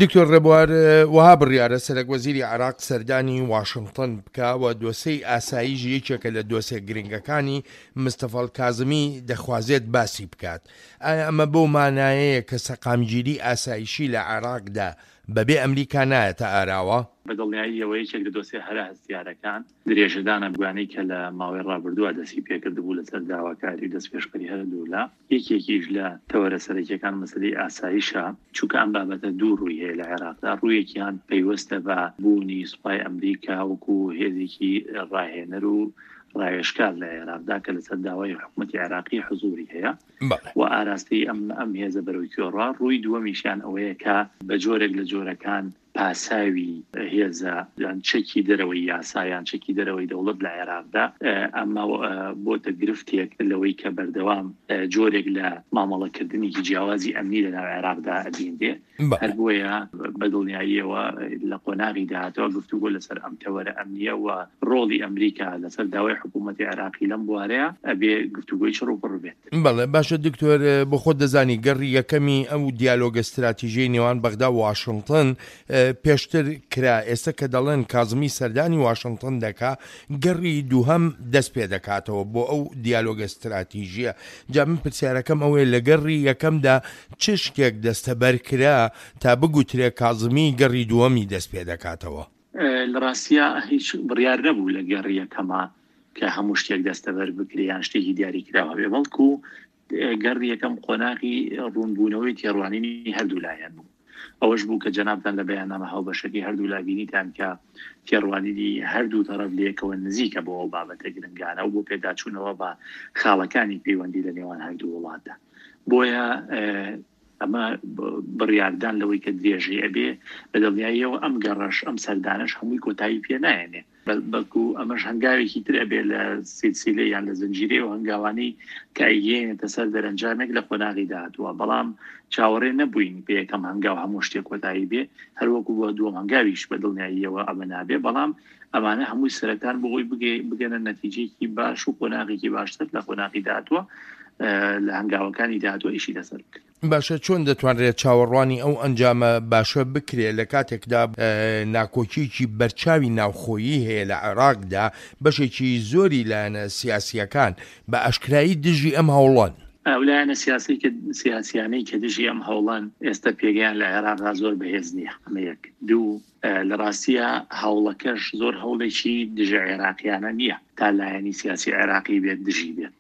دکتۆر ڕێبوار، وەها بڕیارە سەرەک وەزیری عێراق سەردانی واشنتن بکا و دۆسێی ئاسایش یەکێکە لە دۆسێ گرنگەکانی مستەفا کازمی دەخوازێت باسی بکات. ئایا ئەمە بەو مانایەیە کە سەقامگیری ئاسایشی لە عێراقدا بەبێ ئەمریکا نایەتە ئاراوە؟ بە دڵنیاییەوە یەکێک لە دۆسێ هەرە هەستیارەکان درێژەدانە بگوانەی کە لە ماوەی ڕابردووە دەستی پێکردبوو لەسەر داواکاری و دەستپێشخەری هەردوولا، یەکێکیش لە تەوەرە سەرەکیەکان مەسەلەی ئاسایشە، چونکە ئەم بابەتە دوو ڕووی هەیە لە عێراقدا، ڕوویەکیان پەیوەستە بە بوونی سوپای ئەمریکا وەکو هێزێکی ڕاهێنەر و ڕاوێژکار لە عێراقدا کە لەسەر داوای حکومەتی عێراقی حزوری هەیە و ئاراستەی ئەم ئەم هێزە بەرەو کوێ ڕا، ڕووی دووەمیشیان ئەوەیە کە بە جۆرێک لە جۆرەکان پاساوی هێزە یان چەکی دەرەوەی یاسا یان چەکی دەرەوەی دەوڵەت لە عێراقدا، ئەمە بۆتە گرفتێک لەوەی کە بەردەوام جۆرێک لە مامەڵەکردنێکی جیاوازی ئەمنی لەناو عێراقدا ئەبینرێ. هەر بۆیە بە دڵنیاییەوە لە قۆناغی داهاتوە گفتوگۆ لەسەر ئەم تەوەرە ئەمنییە و ڕۆڵی ئەمریکا لەسەر داوای حکوومەتی عێراقی لەم بوارەیە ئەبێ گفتوگۆی چڕ و پڕ بێت. بەڵێ باشە دکتۆر بۆ خۆت دەزانی گەڕی یەکەمی ئەو دیالۆگە ستراتیژیەی نێوان بەغدا و واشنتن پێشتر کرا ئێستا کە دەڵێن کازمی سەردانی واشنتن دەکا گەڕی دووهەم دەست پێ دەکاتەوە بۆ ئەو دیالۆگە ستراتیژیە جا من پرسیارەکەم ئەوەیە لە گەڕی یەکەمدا چ شتێک دەستەبەر کرا تا بگوترێ کازمی گەڕی دووەمی دەست پێ دەکاتەوە؟ لە ڕاستیا هیچ بڕیار نەبوو لە گەڕی یەکەما کە هەموو شتێک دەستەبەر بکرێ یان شتێکی دیاریکراو هەبێ، بەڵکو گەڕی یەکەم قۆناغی ڕوونبوونەوەی تێڕوانینی هەردوو لایەن بوو. ئەوەش بوو کە جەنابتان لە بەیاننامە هاوبەشەکەی هەردوو لا بینیتان کە تێڕوانینی هەردوو تەڕەف لەیەکەوە نزیکە بۆ ئەو بابەتە گرنگانە و بۆ پێداچوونەوە بە خاڵەکانی پەیوەندی لە نێوان هەردوو وڵاتدا. بۆیە ئەمە بڕیاردان لەوەی کە درێژەی ئەبێ، بە دڵنیاییەوە ئەم گەڕەش، ئەم سەردانەش هەمووی کۆتایی پێ نایەنێ. بەڵکو ئەمەش هەنگاوێکی تر ئەبێ لە سیلسیلە یان لە زنجیرەی ئەو هەنگاوانەی کە ئەیگەیەنێتە سەر دەرەنجامێک لە قۆناغی داهاتووە. بەڵام چاوەڕێ نەبووین بە یەکەم هەنگاو هەموو شتێک کۆتایی بێ، هەروەکو بۆ دووەم هەنگاویش بە دڵنیاییەوە ئەمە نابێ، بەڵام ئەمانە هەمووی سەرەتان بۆ ئەوەی بگەنە نەتیجەیەکی باش و قۆناغێکی باشتر لە قۆناغی داهاتووە لە هەنگاوەکانی داهاتووە ئیشی لەسەر بکرێت. باشە چۆن دەتوانرێت چاوەڕوانی ئەو ئەنجامە باشە بکرێت لە کاتێکدا ناکۆکیەکی بەرچاوی ناوخۆیی هەیە لە عێراقدا، بەشێکی زۆری لایەنە سیاسییەکان بە ئاشکرایی دژی ئەم هەوڵەن؟ ئەو لایەنە سیاسیانەی کە دژی ئەم هەوڵەن ئێستا پێگەیان لە عێراقدا زۆر بەهێز نییە، ئەمە یەک. دوو، لە ڕاستیا هەوڵەکەش زۆر هەوڵێکی دژە عێراقیانە نییە تا لایەنی سیاسی عێراقی بێت دژی بێت.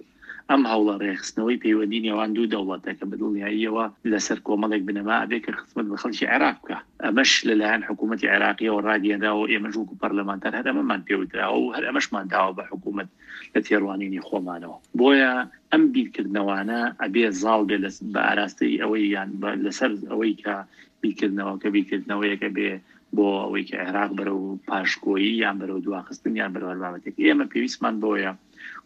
ئەم هەوڵە ڕێکخستنەوەی پەیوەندی نێوان دوو دەوڵەتە کە بە دڵنیاییەوە لەسەر کۆمەڵێک بنەما ئەبێ کە خزمەت بە خەڵکی عێراق بکا. ئەمەش لە لایەن حکوومەتی عێراقییەوە ڕاگەیەنراوە و ئێمەش وەکوو پەرلەمانتار هەر ئەمەمان پێ وتراوە و هەر ئەمەشمان داوە بە حکوومەت لە تێڕوانینی خۆمانەوە. بۆیە ئەم بیرکردنەوانە ئەبێ زاڵ بێ لە بە ئاراستەی ئەوەی یان لەسەر ئەوەی کە بیرکردنەوەکە بیرکردنەوەیەک ئەبێ بۆ ئەوەی کە عێراق بەرەو پاشکۆیی یان بەرەو دواخستن یان بەرەو هەر بابەتێک. ئێمە پێویستمان بەوەیە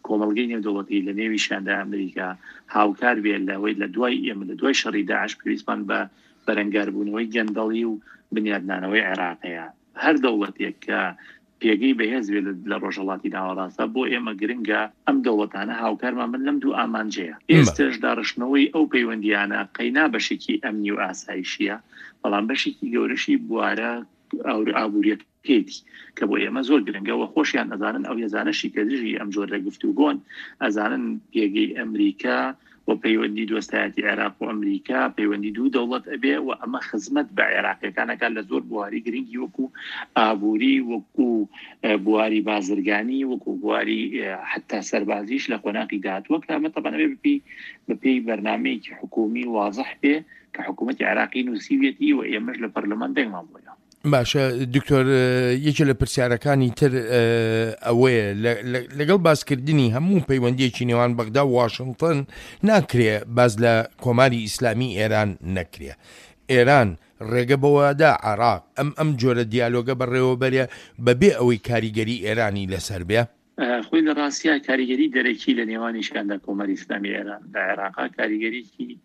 کۆمەڵگەی نێودەوڵەتی لە نێویشیاندا ئەمریکا هاوکار بێت لەوەی لە دوای ئێمە لە دوای شەڕی داعش پێویستمان بە بەرەنگاربوونەوەی گەندەڵی و بنیادنانەوەی عێراقەیە. هەر دەوڵەتێک کە پێگەی بەهێز بێت لە ڕۆژهەڵاتی ناوەڕاستدا بۆ ئێمە گرنگە ئەم دەوڵەتانە هاوکارمان بن لەم دوو ئامانجەیە. ئێستەش داڕشتنەوەی ئەو پەیوەندییانە قەینا بەشێکی ئەمنی و ئاسایشییە، بەڵام بەشێکی گەورەشی بوارە ئابوورییەکەیەتی کە بۆ ئێمە زۆر گرنگە و خۆشیان ئەزانن ئەو هێزانەشی کە دژی ئەم جۆرە گفتوگۆن ئەزانن پێگەی ئەمریکا و پەیوەندی دۆستایەتی عێراق و ئەمریکا پەیوەندی دوو دەوڵەت ئەبێ و ئەمە خزمەت بە عێراقیەکان ئەکات لە زۆر بواری گرنگی وەکو ئابووری وەکو بواری بازرگانی وەکو بواری حتا سەربازیش لە قۆناغی داهاتووە کە ئەمە تەبعەن ئەبێ بەپێی بەپێی بەرنامەیەکی حکوومی وازح بێ کە حکوومەتی عێراقی نووسیویەتی و ئێمەش لە پەرلەمان دەنگمان بۆ داوە. باشە دکتۆر یەکێ لە پرسیارەکانی تر ئەوەیە لەگەڵ باسکردنی هەموو پەیوەندیەکی نێوان بەغدا و واشنتن ناکرێ باس لە کۆماری ئیسلامی ئێران نەکرێ ئێران ڕێگە بەوەدا عراق ئەم ئەم جۆرە دیالۆگە بەڕێوەبەرێ بەبێ ئەوەی کاریگەری ئێرانی لەسەر بێ؟ خۆی لە ڕاستیا کاریگەری دەرەکی لە نێوانیشیاندا کۆماری ئیسلامی ئێران لە عێراقا کاریگەریی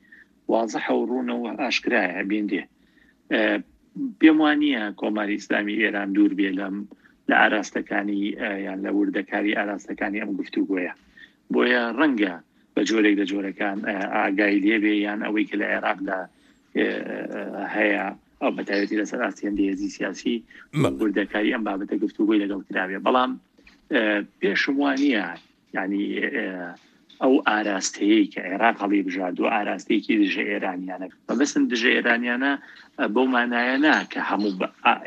وازحە و ڕوونە و ئاشکرایە بینرێ. پێم وا نییە کۆماری ئیسلامی ئێران دوور بێ لەم لە ئاراستەکانی یان لە وردەکاری ئاراستەکانی ئەم گفتوگۆیە. بۆیە ڕەنگە بە جۆرێک لە جۆرەکان ئاگای لێ بێ یان ئەوەی کە لە عێراقدا هەیە. ئەو بەتایبەتی لەسەر ئاستی هەندێ هێزی سیاسی وردەکاری ئەم بابەتە گفتوگۆی لەگەڵ کراوێ بەڵام پێشم وانە یعنی ئەو ئاراستەیەی کە عێراق هەڵی بژاردووە ئاراستەیەکی دژە ئێرانیانە مەبەستم دژە ئێرانیانە بەو مانایە نا کە هەموو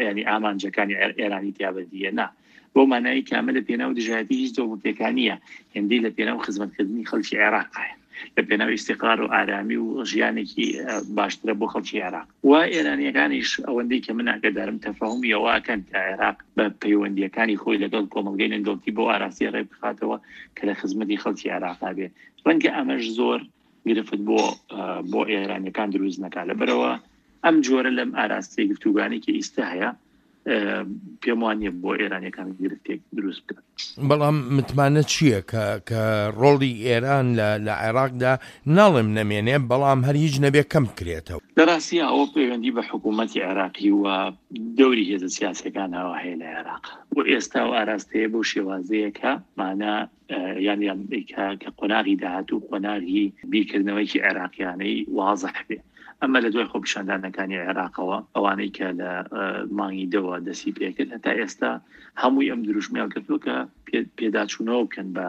ینی ئامانجەکانی ئێرانی تیابەدیە نا بەو مانایی کە ئەمە لە پێناو دژایەتی هیچ دەوڵەتێکا نییە هێندەی لە پێناو خزمەتکردنی خەڵکی عێراقایە لە پێناو ئیستیقرار و ئارامی و ژیانێکی باشترە بۆ خەڵکی عێراق و ئێرانیەکانیش ئەوەندەی کە من ئاگادارم تەفاهمی ئەوە ئەکەن کە عێراق بە پەیوەندیەکانی خۆی لەگەڵ کۆمەڵگەی نێودەوڵەتی بەو ئاراستەیە ڕێ بخاتەوە کە لە خزمەتی خەڵکی عێراقا بێ ڕەنگە ئەمەش زۆر گرفت بۆ بۆ ئێرانیەکان دروست نەکا لەبەرەوە ئەم جۆرە لەم ئاراستەی گفتوگانی کە ئیستا هەیە پێم وانیە بۆ ئێرانیەکان گرفتێک دروست بکات. بەڵام متمانە چییە کە کە ڕۆڵی ئێران لە لە عێراقدا ناڵێم نەمێنێ بەڵام هەر هیچ نەبێ کەم بکرێتەوە؟ لە ڕاستیا ئەوە پەیوەندی بە حکوومەتی عێراقی و دەوری هێزە سیاسیەکانەوە هەیە لە عێراق و ئێستا و ئاراستەیە بەو شێوازەیە کە مانا یان یان کە کە قۆناغی داهاتوو قۆناغی بیرکردنەوەیەکی عێراقیانەی وازح بێ ئەمە لە دوای خۆپیشاندانەکانی عێراقەوە ئەوانەی کە لە مانگی دەوە دەستی پێکرد هەتا ئێستا هەمووی ئەم دروشمیان کردووە کە پێداچوونەوە بکەن بە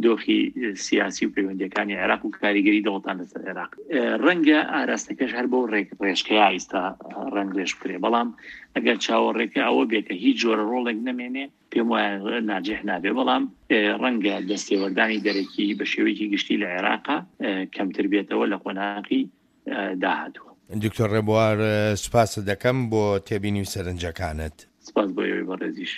دۆخی سیاسی و پەیوەندیەکانی عێراق و کاریگەری دەوڵەتان لەسەر عێراق ڕەنگە ئاراستەکەش هەر بۆ ڕێک ڕێژکەیا ئیستا ڕەنگ ڕێژ بکرێ بەڵام ئەگەر چاوەڕێکە ئەوە بێ کە هیچ جۆرە ڕۆڵێک نەمێنێ پێم وایە ناجح نابێ بەڵام ڕەنگە دەستێوەردانی دەرەکی بە شێوەیەکی گشتی لە عێراقا کەمتر بێتەوە لە قۆناغی داهاتوو. دکتۆر ڕێبوار سوپاست دەکەم بۆ تێبینی و سەرنجەکانت. سپاس بۆ ئێوەی بەڕێزیش.